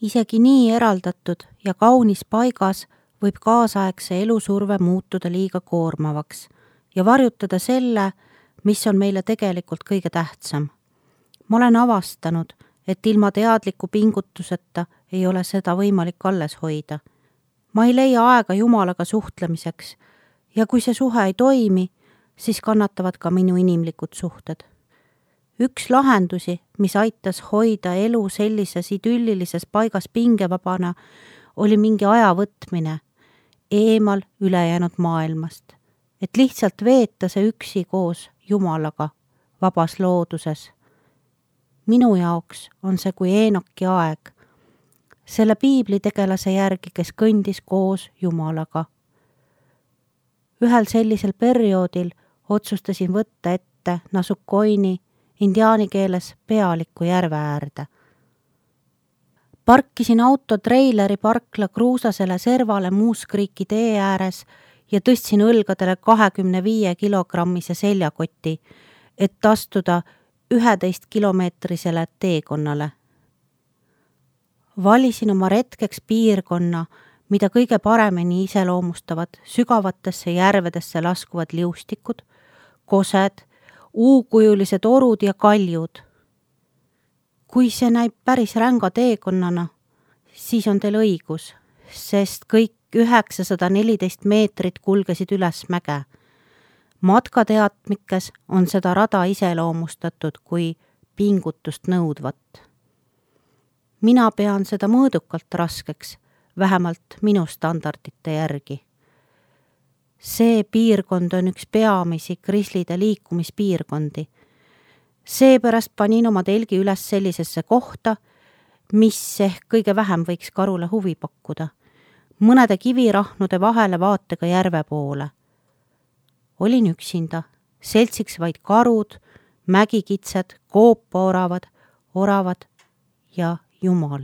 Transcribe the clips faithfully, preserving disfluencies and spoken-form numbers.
Isegi nii eraldatud ja kaunis paigas võib kaasaegse elusurve muutuda liiga koormavaks ja varjutada selle, mis on meile tegelikult kõige tähtsam. Ma olen avastanud, et ilma teadliku pingutuseta ei ole seda võimalik alles hoida. Ma ei leia aega Jumalaga suhtlemiseks ja kui see suhe ei toimi, siis kannatavad ka minu inimlikud suhted. Üks lahendusi, mis aitas hoida elu sellises idüllilises paigas pingevabana, oli mingi aja võtmine eemal ülejäänud maailmast, et lihtsalt veeta see üksi koos Jumalaga vabas looduses. Minu jaoks on see kui Eenoki aeg, selle piiblitegelase järgi, kes kõndis koos Jumalaga. Ühel sellisel perioodil otsustasin võtta ette Nasukoini indiaani keeles pealiku järve äärde. Parkisin auto treileri parkla kruusasele servale Muuskriiki tee ääres ja tõstsin õlgadele kahekümne viie kilogrammise seljakoti, et astuda üheteist kilomeetrisele teekonnale. Valisin oma retkeks piirkonna, mida kõige paremini iseloomustavad sügavatesse järvedesse laskuvad liustikud, kosed, uukujulised orud ja kaljud. Kui see näib päris ränga teekonnana, siis on teil õigus, sest kõik üheksasada neliteist meetrit kulgesid üles mäge. Matkateatmikes on seda rada iseloomustatud kui pingutust nõudvat. Mina pean seda mõõdukalt raskeks, vähemalt minu standardite järgi. See piirkond on üks peamisi krislide liikumispiirkondi. Seepärast panin oma telgi üles sellisesse kohta, mis ehk kõige vähem võiks karule huvi pakkuda, mõnede kivirahnude vahele vaatega järve poole. Olin üksinda, seltsiks vaid karud, mägikitsed, koopaoravad, oravad ja Jumal.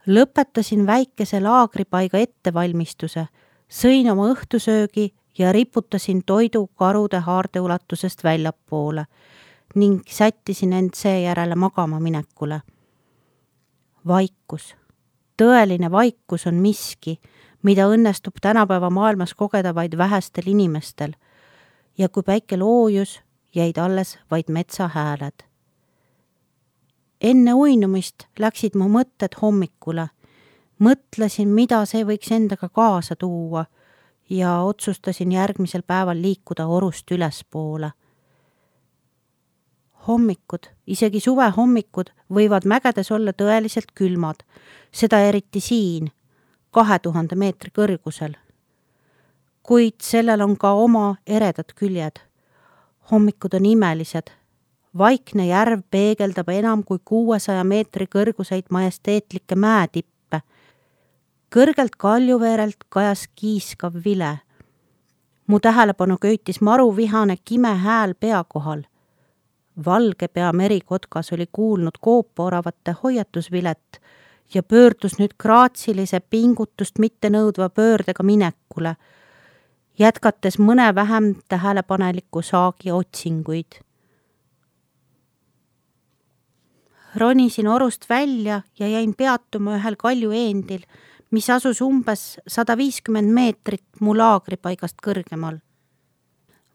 Lõpetasin väikese laagripaiga ettevalmistuse, sõin oma õhtusöögi ja riputasin toidu karude haarde ulatusest väljapoole ning sättisin end seejärele magama minekule. Vaikus. Tõeline vaikus on miski, mida õnnestub tänapäeva maailmas kogeda vaid vähestel inimestel ja kui päike loojus, jäid alles vaid metsahääled. Enne uinumist läksid mu mõtted hommikule. Mõtlesin, mida see võiks endaga kaasa tuua ja otsustasin järgmisel päeval liikuda orust ülespoole. Hommikud, isegi suve hommikud võivad mägedes olla tõeliselt külmad, seda eriti siin, kahe tuhande meetri kõrgusel. Kuid sellel on ka oma eredad küljed. Hommikud on imelised. Vaikne järv peegeldab enam kui kuuesaja meetri kõrguseid majesteetlikke mäetippe. Kõrgelt kaljuveerelt kajas kiiskav vile. Mu tähelepanu köitis maruvihane kime hääl pea kohal. Valge pea merikotkas oli kuulnud koopaoravate hoiatusvilet ja pöördus nüüd graatsilise pingutust mitte nõudva pöördega minekule, jätkates mõne vähem tähelepaneliku saagi otsinguid. Ronisin orust välja ja jäin peatuma ühel kaljueendil, mis asus umbes sada viiskümmend meetrit mu laagripaigast kõrgemal.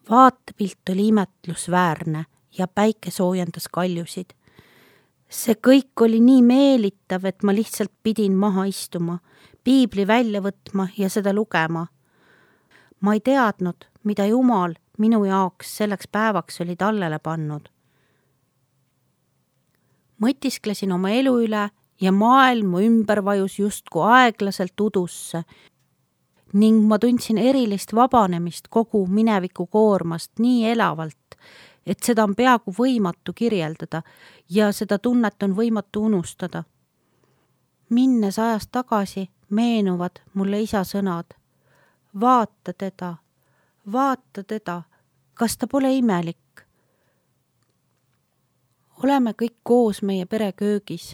Vaatepilt oli imetlusväärne ja päike soojendas kaljusid. See kõik oli nii meelitav, et ma lihtsalt pidin maha istuma, piibli välja võtma ja seda lugema. Ma ei teadnud, mida Jumal minu jaoks selleks päevaks oli tallele pannud. Mõtisklesin oma elu üle ja maailm ümber vajus justku aeglaselt udusse ning ma tundsin erilist vabanemist kogu mineviku koormast nii elavalt, et seda on peaaegu võimatu kirjeldada ja seda tunnet on võimatu unustada. Minnes ajas tagasi meenuvad mulle isa sõnad. Vaata teda, vaata teda, kas ta pole imelik? Oleme kõik koos meie pere köögis.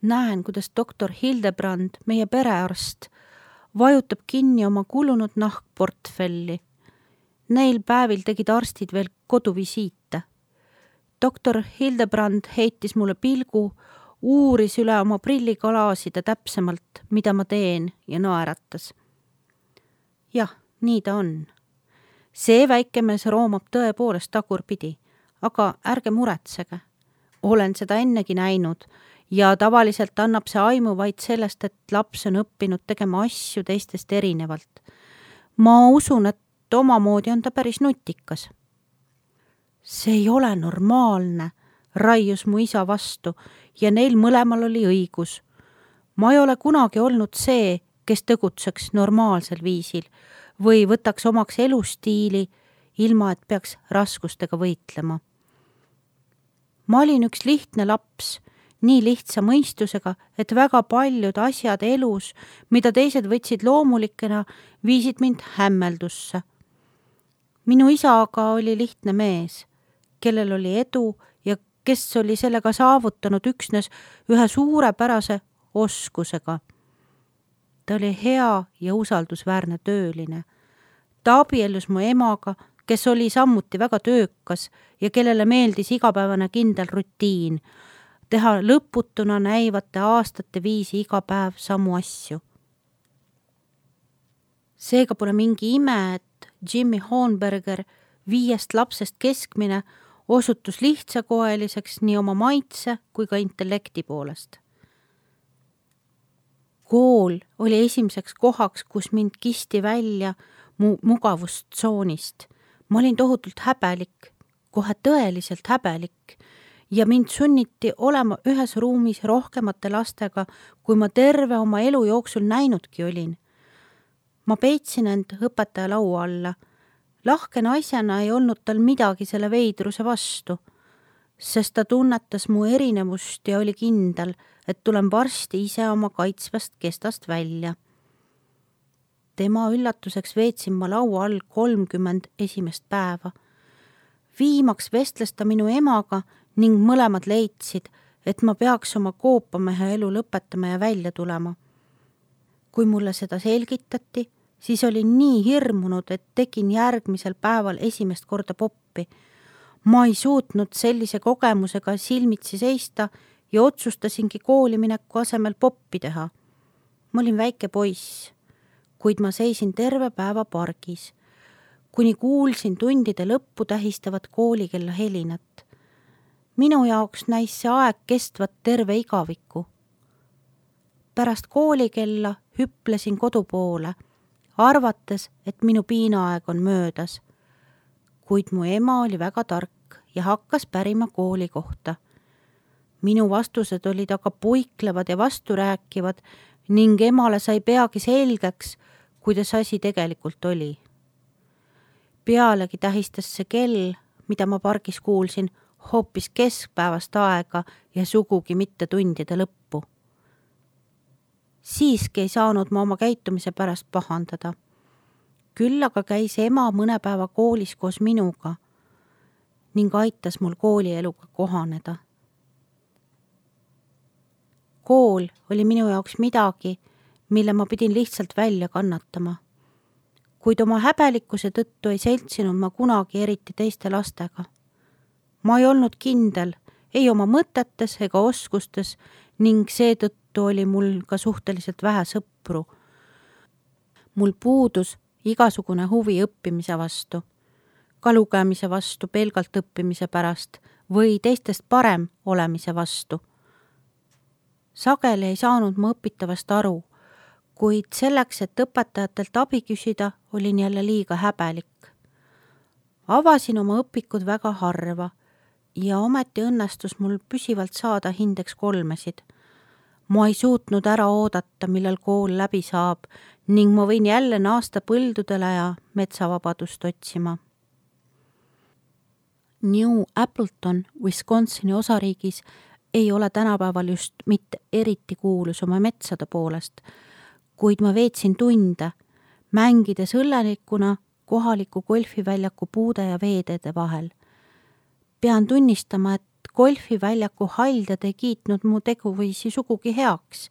Näen, kuidas doktor Hildebrand, meie perearst, vajutab kinni oma kulunud nahkportfelli. Neil päevil tegid arstid veel koduvisiite. Doktor Hildebrand heitis mulle pilgu, uuris üle oma prillikalaaside täpsemalt, mida ma teen ja naeratas. Jah, nii ta on. See väike mees roomab tõepoolest tagurpidi, aga ärge muretsege. Olen seda ennegi näinud ja tavaliselt annab see aimu vaid sellest, et laps on õppinud tegema asju teistest erinevalt. Ma usun, et omamoodi on ta päris nutikas. See ei ole normaalne, raius mu isa vastu ja neil mõlemal oli õigus. Ma ei ole kunagi olnud see, kes tegutseks normaalsel viisil või võtaks omaks elustiili, ilma et peaks raskustega võitlema. Ma olin üks lihtne laps, nii lihtsa mõistusega, et väga paljud asjad elus, mida teised võtsid loomulikena, viisid mind hämmeldusse. Minu isa aga oli lihtne mees, kellel oli edu ja kes oli sellega saavutanud üksnes ühe suurepärase oskusega. Ta oli hea ja usaldusväärne tööline. Ta abiellus mu emaga, kes oli sammuti väga töökas ja kellele meeldis igapäevane kindel rutiin, teha lõputuna näivate aastate viisi iga päev samu asju. Seega pole mingi ime, et Jimmy Hornberger, viiest lapsest keskmine, osutus lihtsakoeliseks nii oma maitse kui ka intellekti poolest. Kool oli esimeseks kohaks, kus mind kisti välja mu mugavustsoonist. Ma olin tohutult häbelik, kohe tõeliselt häbelik ja mind sunniti olema ühes ruumis rohkemate lastega, kui ma terve oma elu jooksul näinudki olin. Ma peitsin end õpetaja laua alla. Lahke naisena ei olnud tal midagi selle veidruse vastu, sest ta tunnetas mu erinevust ja oli kindel, et tulen varsti ise oma kaitsvast kestast välja. Tema üllatuseks veetsin ma laua all kolmkümmend esimest päeva. Viimaks vestles ta minu emaga ning mõlemad leidsid, et ma peaks oma koopamehe elu lõpetama ja välja tulema. Kui mulle seda selgitati, siis olin nii hirmunud, et tegin järgmisel päeval esimest korda poppi. Ma ei suutnud sellise kogemusega silmitsi seista ja otsustasingi koolimineku asemel poppi teha. Ma olin väike poiss, kuid ma seisin terve päeva pargis, kuni kuulsin tundide lõppu tähistavat koolikella helinat. Minu jaoks näis see aeg kestvat terve igaviku. Pärast koolikella hüplesin kodu poole, arvates, et minu piinaaeg on möödas, kuid mu ema oli väga tark ja hakkas pärima kooli kohta. Minu vastused olid aga puiklevad ja vasturääkivad ning emale sai peagi selgeks, kuidas asi tegelikult oli. Pealegi tähistas see kell, mida ma pargis kuulsin, hoopis keskpäevast aega ja sugugi mitte tundide lõppu. Siiski ei saanud ma oma käitumise pärast pahandada. Küll aga käis ema mõne päeva koolis koos minuga ning aitas mul koolieluga kohaneda. Kool oli minu jaoks midagi, mille ma pidin lihtsalt välja kannatama. Kuid oma häbelikkuse tõttu ei seltsinud ma kunagi eriti teiste lastega. Ma ei olnud kindel, ei oma mõtetes ega oskustes ning seetõttu oli mul ka suhteliselt vähe sõpru. Mul puudus igasugune huvi õppimise vastu, ka lugemise vastu pelgalt õppimise pärast või teistest parem olemise vastu. Sageli ei saanud ma õpitavast aru, kuid selleks, et õpetajatelt abi küsida, olin jälle liiga häbelik. Avasin oma õpikud väga harva ja ometi õnnestus mul püsivalt saada hindeks kolmesid. Ma ei suutnud ära oodata, millal kool läbi saab ning ma võin jälle naasta põldudele ja metsavabadust otsima. New Appleton, Wisconsini osariigis ei ole tänapäeval just mitte eriti kuulus oma metsade poolest, kuid ma veetsin tunde, mängides õllenikuna kohaliku golfiväljaku puude ja veeteede vahel. Pean tunnistama, et golfiväljaku haldjad ei kiitnud mu teguviisi sugugi heaks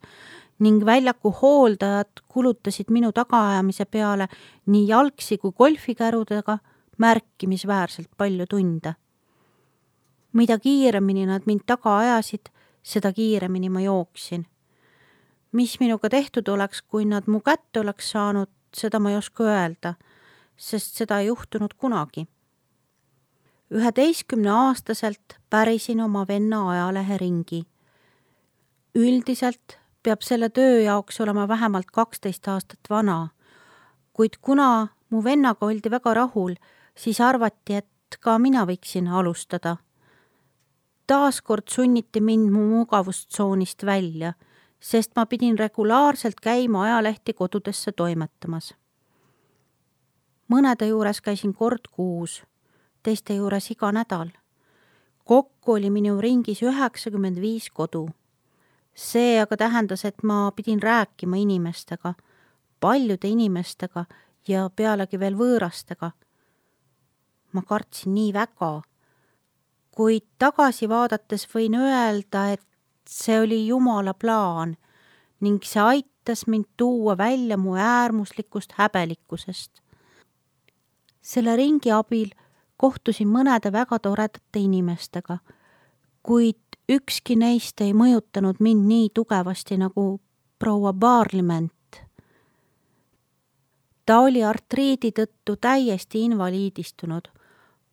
ning väljaku hooldajad kulutasid minu tagaajamise peale nii jalgsi kui golfikärudega märkimisväärselt palju tunde. Mida kiiremini nad mind taga ajasid, seda kiiremini ma jooksin. Mis minuga tehtud oleks, kui nad mu kätte oleks saanud, seda ma ei oska öelda, sest seda ei juhtunud kunagi. üheteistkümne aastaselt pärisin oma venna ajalehe ringi. Üldiselt peab selle töö jaoks olema vähemalt kaksteist aastat vana, kuid kuna mu vennaga oldi väga rahul, siis arvati, et ka mina võiksin alustada. Taaskord sunniti mind mu mugavustsoonist välja, sest ma pidin regulaarselt käima ajalehti kodudesse toimetamas. Mõnede juures käisin kord kuus, teiste juures iga nädal. Kokku oli minu ringis üheksakümmend viis kodu. See aga tähendas, et ma pidin rääkima inimestega, paljude inimestega ja pealegi veel võõrastega. Ma kartsin nii väga, kuid tagasi vaadates võin öelda, et see oli Jumala plaan ning see aitas mind tuua välja mu äärmuslikust häbelikkusest. Selle ringi abil kohtusin mõnede väga toredate inimestega, kuid ükski neist ei mõjutanud mind nii tugevasti nagu proua Parliament. Ta oli artriidi tõttu täiesti invaliidistunud.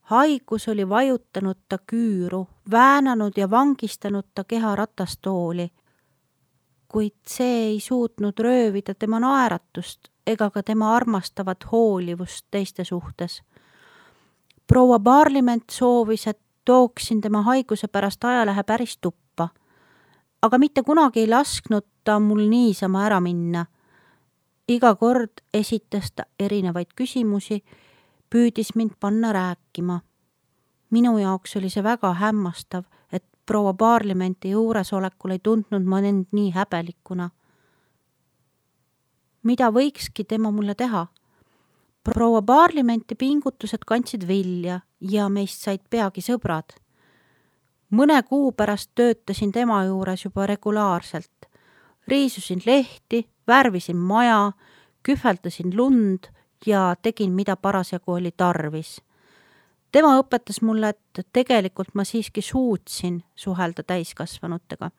Haigus oli vajutanud ta küüru, väänanud ja vangistanud ta keha ratastooli, kuid see ei suutnud röövida tema naeratust ega ka tema armastavat hoolivust teiste suhtes. Proua Parliament soovis, et tooksin tema haiguse pärast ajalehe päris tuppa, aga mitte kunagi ei lasknud ta mul niisama ära minna. Iga kord esitas ta erinevaid küsimusi, püüdis mind panna rääkima. Minu jaoks oli see väga hämmastav, et proua Parlimenti juuresolekul ei tundnud ma end nii häbelikuna. Mida võikski tema mulle teha? Proua Parlimenti pingutused kandsid vilja ja meist said peagi sõbrad. Mõne kuu pärast töötasin tema juures juba regulaarselt. Riisusin lehti, värvisin maja, kühveldasin lund ja tegin, mida parasjagu oli tarvis. Tema õpetas mulle, et tegelikult ma siiski suutsin suhelda täiskasvanutega.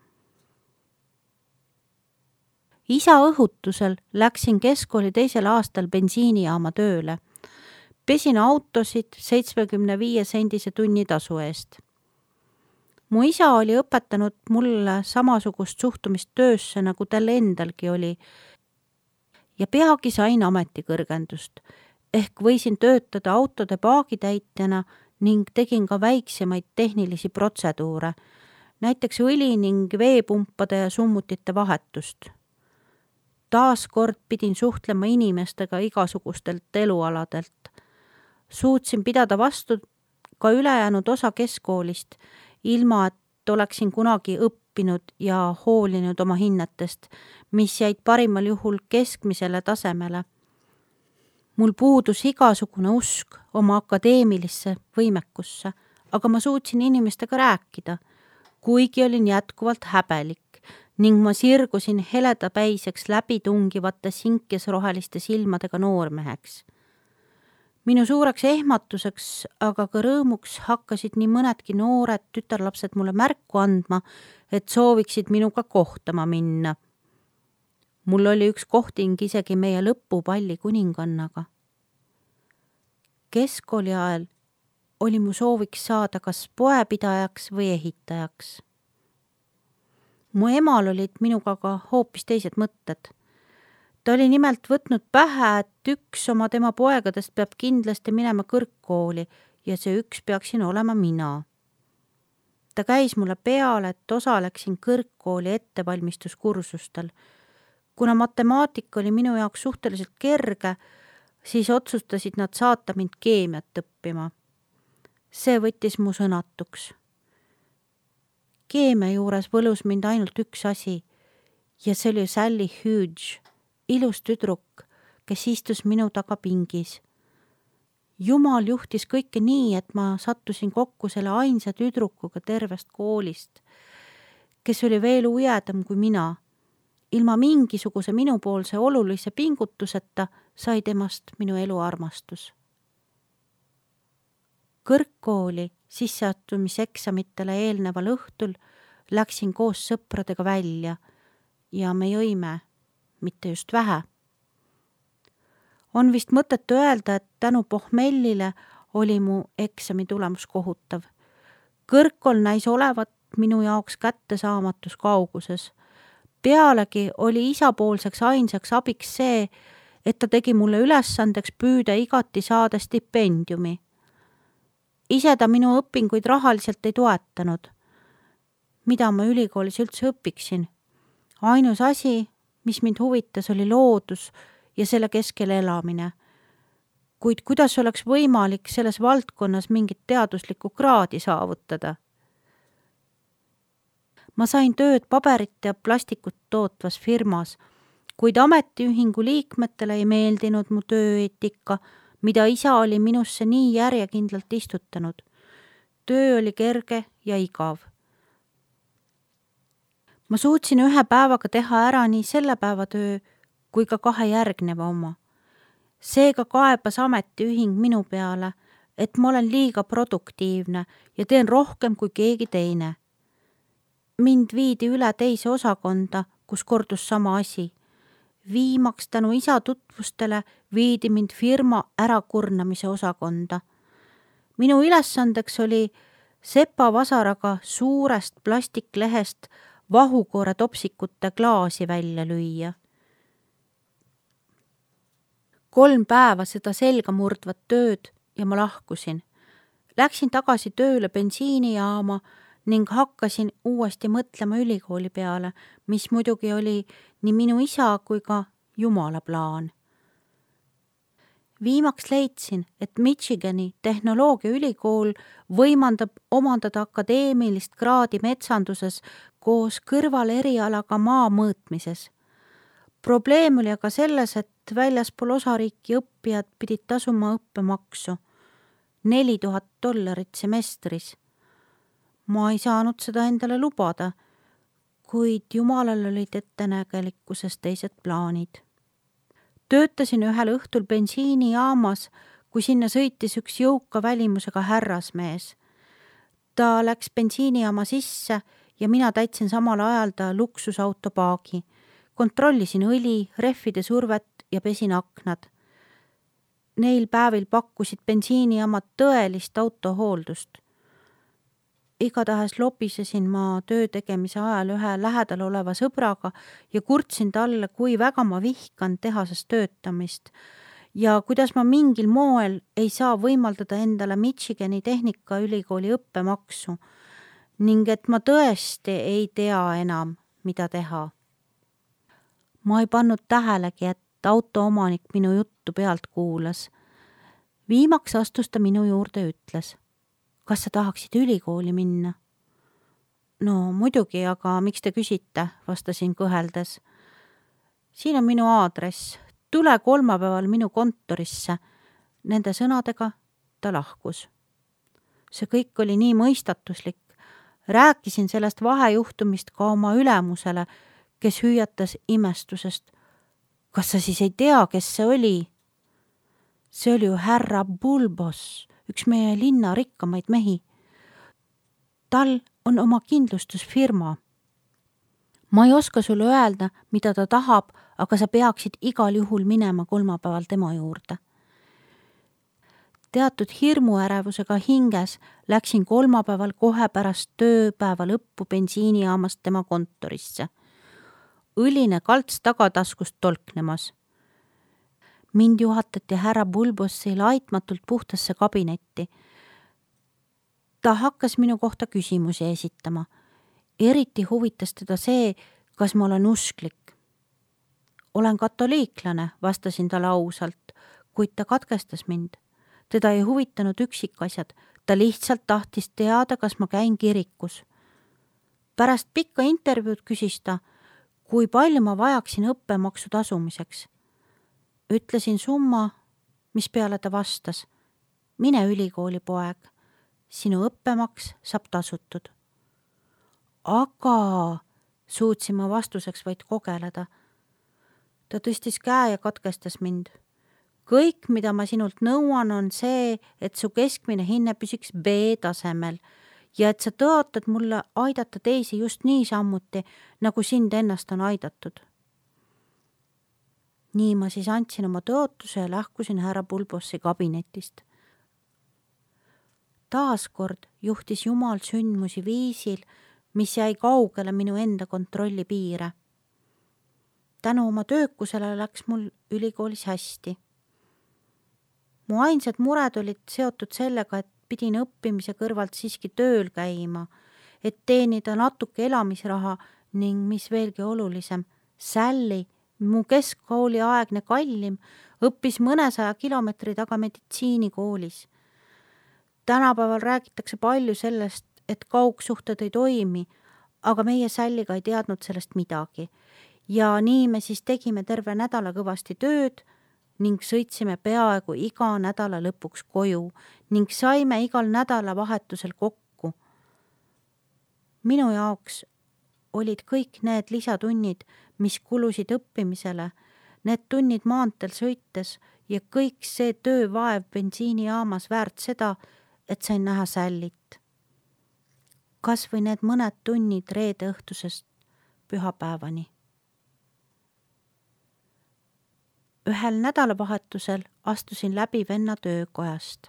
Isa õhutusel läksin keskkooli teisel aastal bensiinijaama tööle. Pesin autosid seitsmekümne viie sendise tunnitasu eest. Mu isa oli õpetanud mulle samasugust suhtumist töösse, nagu tal endalgi oli, ja peagi sain ametikõrgendust, ehk võisin töötada autode paagitäitjana ning tegin ka väiksemaid tehnilisi protseduure, näiteks õli ning veepumpade ja summutite vahetust. Taaskord pidin suhtlema inimestega igasugustelt elualadelt. Suutsin pidada vastu ka ülejäänud osa keskkoolist, ilma et oleksin kunagi õppinud ja hoolinud oma hinnetest, mis jäid parimal juhul keskmisele tasemele. Mul puudus igasugune usk oma akadeemilisse võimekusse, aga ma suutsin inimestega rääkida, kuigi olin jätkuvalt häbelik ning ma sirgusin heledapäiseks läbitungivate sinkesroheliste silmadega noormeheks. Minu suureks ehmatuseks, aga ka rõõmuks hakkasid nii mõnedki noored tütarlapsed mulle märku andma, et sooviksid minuga kohtama minna. Mul oli üks kohting isegi meie lõpupalli kuningannaga. Keskkooli ajal oli mu sooviks saada kas poepidajaks või ehitajaks. Mu emal olid minuga ka hoopis teised mõtted. Ta oli nimelt võtnud pähe, et üks oma tema poegadest peab kindlasti minema kõrgkooli ja see üks peaksin olema mina. Ta käis mulle peale, et osaleksin kõrgkooli ettevalmistuskursustel. Kuna matemaatika oli minu jaoks suhteliselt kerge, siis otsustasid nad saata mind keemiat õppima. See võttis mu sõnatuks. Keemia juures võlus mind ainult üks asi ja see oli Sally Hughes, ilus tüdruk, kes istus minu taga pingis. Jumal juhtis kõike nii, et ma sattusin kokku selle ainsa tüdrukuga tervest koolist, kes oli veel ujedam kui mina. Ilma mingisuguse minupoolse olulise pingutuseta sai temast minu elu armastus. Kõrgkooli sisseastumiseksamitele eelneval õhtul läksin koos sõpradega välja ja me jõime, mitte just vähe. On vist mõtet öelda, et tänu pohmellile oli mu eksami tulemus kohutav. Kõrgkool näis olevat minu jaoks kättesaamatus kauguses. Pealegi oli isapoolseks ainsaks abiks see, et ta tegi mulle ülesandeks püüda igati saada stipendiumi. Ise ta minu õpinguid rahaliselt ei toetanud. Mida ma ülikoolis üldse õpiksin? Ainus asi, mis mind huvitas, oli loodus ja selle keskel elamine. Kuid kuidas oleks võimalik selles valdkonnas mingit teaduslikku kraadi saavutada? Ma sain tööd paberit ja plastikut tootvas firmas, kuid ametiühingu liikmetele ei meeldinud mu tööeetika, mida isa oli minusse nii järjekindlalt istutanud. Töö oli kerge ja igav. Ma suutsin ühe päevaga teha ära nii selle päeva töö kui ka kahe järgneva oma. Seega kaebas ametiühing minu peale, et ma olen liiga produktiivne ja teen rohkem kui keegi teine. Mind viidi üle teise osakonda, kus kordus sama asi. Viimaks tänu isa tutvustele viidi mind firma ärakurnamise osakonda. Minu ülesandeks oli sepa vasaraga suurest plastiklehest vahukoore topsikute klaasi välja lüüa. Kolm päeva seda selga murdvat tööd ja ma lahkusin. Läksin tagasi tööle bensiinijaama ning hakkasin uuesti mõtlema ülikooli peale, mis muidugi oli nii minu isa kui ka Jumala plaan. Viimaks leidsin, et Michigani tehnoloogiaülikool võimandab omandada akadeemilist kraadi metsanduses koos kõrvalerialaga maa mõõtmises. Probleem oli aga selles, et väljaspool osariiki õppijad pidid tasuma õppemaksu neli tuhat dollarit semestris. Ma ei saanud seda endale lubada, kuid Jumalal olid ettenägelikkuses teised plaanid. Töötasin ühel õhtul bensiinijaamas, kui sinna sõitis üks jõuka välimusega härrasmees. Ta läks bensiinijaama sisse ja mina täitsin samal ajal ta luksusauto paagi. Kontrollisin õli, rehvide survet ja pesin aknad. Neil päevil pakkusid bensiinijaamad tõelist autohooldust. Igatahes lobisesin ma töö tegemise ajal ühe lähedal oleva sõbraga ja kurtsin talle, kui väga ma vihkan tehases töötamist ja kuidas ma mingil moel ei saa võimaldada endale Michigani tehnikaülikooli õppemaksu ning et ma tõesti ei tea enam, mida teha. Ma ei pannud tähelegi, et autoomanik minu juttu pealt kuulas. Viimaks astus ta minu juurde ja ütles: kas sa tahaksid ülikooli minna? No muidugi, aga miks te küsite, vastasin kõheldes. Siin on minu aadress, tule kolmapäeval minu kontorisse. Nende sõnadega ta lahkus. See kõik oli nii mõistatuslik. Rääkisin sellest vahejuhtumist ka oma ülemusele, kes hüüatas imestusest. Kas sa siis ei tea, kes see oli? See oli ju härra Bulbos, üks meie linna rikkamaid mehi. Tal on oma kindlustusfirma. Ma ei oska sulle öelda, mida ta tahab, aga sa peaksid igal juhul minema kolmapäeval tema juurde. Teatud hirmuärevusega hinges läksin kolmapäeval kohe pärast tööpäeva lõppu bensiinijaamast tema kontorisse. Õline kalts tagataskust tolknemas. Mind juhatati härra Bulbossi laitmatult puhtasse kabinetti. Ta hakkas minu kohta küsimusi esitama. Eriti huvitas teda see, kas ma olen usklik. Olen katoliiklane, vastasin talle ausalt, kuid ta katkestas mind. Teda ei huvitanud üksikasjad, ta lihtsalt tahtis teada, kas ma käin kirikus. Pärast pikka intervjuud küsis ta, kui palju ma vajaksin õppemaksu tasumiseks. Ütlesin summa, mis peale ta vastas. Mine ülikooli, poeg. Sinu õppemaks saab tasutud. Aga suutsin ma vastuseks vaid kogeleda. Ta tõstis käe ja katkestas mind. Kõik, mida ma sinult nõuan, on see, et su keskmine hinne püsiks B-tasemel ja et sa tõotad mulle aidata teisi just nii sammuti, nagu sind ennast on aidatud. Nii ma siis andsin oma tõotuse ja lähkusin härra Bulbossi kabinetist. Taaskord juhtis Jumal sündmusi viisil, mis jäi kaugele minu enda kontrolli piire. Tänu oma töökusele läks mul ülikoolis hästi. Mu ainsad mured olid seotud sellega, et pidin õppimise kõrvalt siiski tööl käima, et teenida natuke elamisraha ning mis veelgi olulisem, Sally, mu keskkooli aegne kallim, õppis mõnesaja kilomeetri taga meditsiinikoolis. Tänapäeval räägitakse palju sellest, et kaugsuhted ei toimi, aga meie Salliga ei teadnud sellest midagi. Ja nii me siis tegime terve nädala kõvasti tööd ning sõitsime peaaegu iga nädala lõpuks koju ning saime igal nädala vahetusel kokku. Minu jaoks olid kõik need lisatunnid, mis kulusid õppimisele, need tunnid maanteel sõites ja kõik see töövaev bensiinijaamas väärt seda, et sain näha Sallit. Kas või need mõned tunnid reede õhtusest pühapäevani. Ühel nädalavahetusel astusin läbi venna töökojast,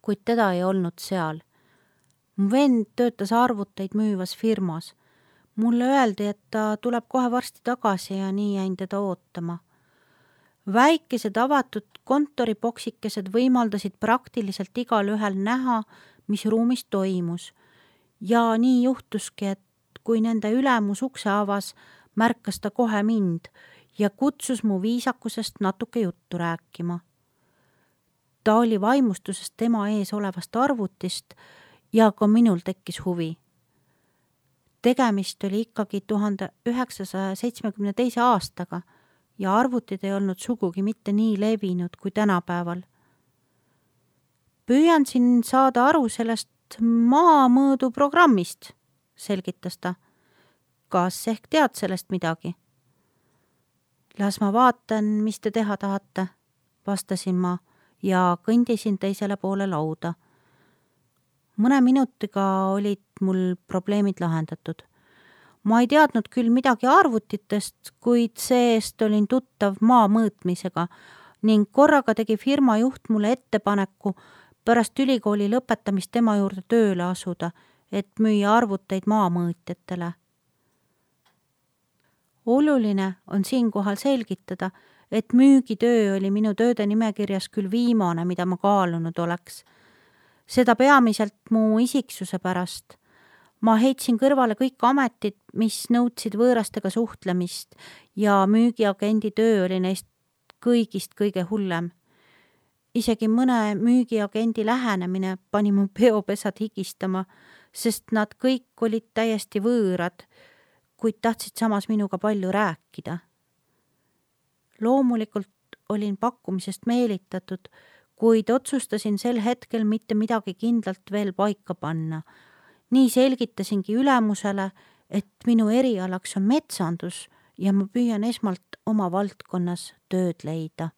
kuid teda ei olnud seal. Mu vend töötas arvuteid müüvas firmas. Mulle öeldi, et ta tuleb kohe varsti tagasi ja nii jäin teda ootama. Väikesed avatud kontoripoksikesed võimaldasid praktiliselt igal ühel näha, mis ruumis toimus. Ja nii juhtuski, et kui nende ülemus ukse avas, märkas ta kohe mind ja kutsus mu viisakusest natuke juttu rääkima. Ta oli vaimustusest tema ees olevast arvutist ja ka minul tekkis huvi. Tegemist oli ikkagi tuhande üheksasaja seitsmekümne teise aastaga ja arvutid ei olnud sugugi mitte nii levinud kui tänapäeval. Püüan siin saada aru sellest maamõõdu programmist, selgitas ta. Kas ehk tead sellest midagi? Las ma vaatan, mis te teha tahate, vastasin ma ja kõndisin teisele poole lauda. Mõne minutiga olid mul probleemid lahendatud. Ma ei teadnud küll midagi arvutitest, kuid see-eest olin tuttav maa mõõtmisega ning korraga tegi firma juht mulle ettepaneku pärast ülikooli lõpetamist tema juurde tööle asuda, et müüa arvuteid maamõõtjatele. Oluline on siinkohal selgitada, et müügitöö oli minu tööde nimekirjas küll viimane, mida ma kaalunud oleks. Seda peamiselt mu isiksuse pärast. Ma heitsin kõrvale kõik ametid, mis nõudsid võõrastega suhtlemist ja müügiagendi töö oli neist kõigist kõige hullem. Isegi mõne müügiagendi lähenemine pani mu peopesad higistama, sest nad kõik olid täiesti võõrad, kuid tahtsid samas minuga palju rääkida. Loomulikult olin pakkumisest meelitatud, kuid otsustasin sel hetkel mitte midagi kindlalt veel paika panna. Nii selgitasingi ülemusele, et minu erialaks on metsandus ja ma püüan esmalt oma valdkonnas tööd leida.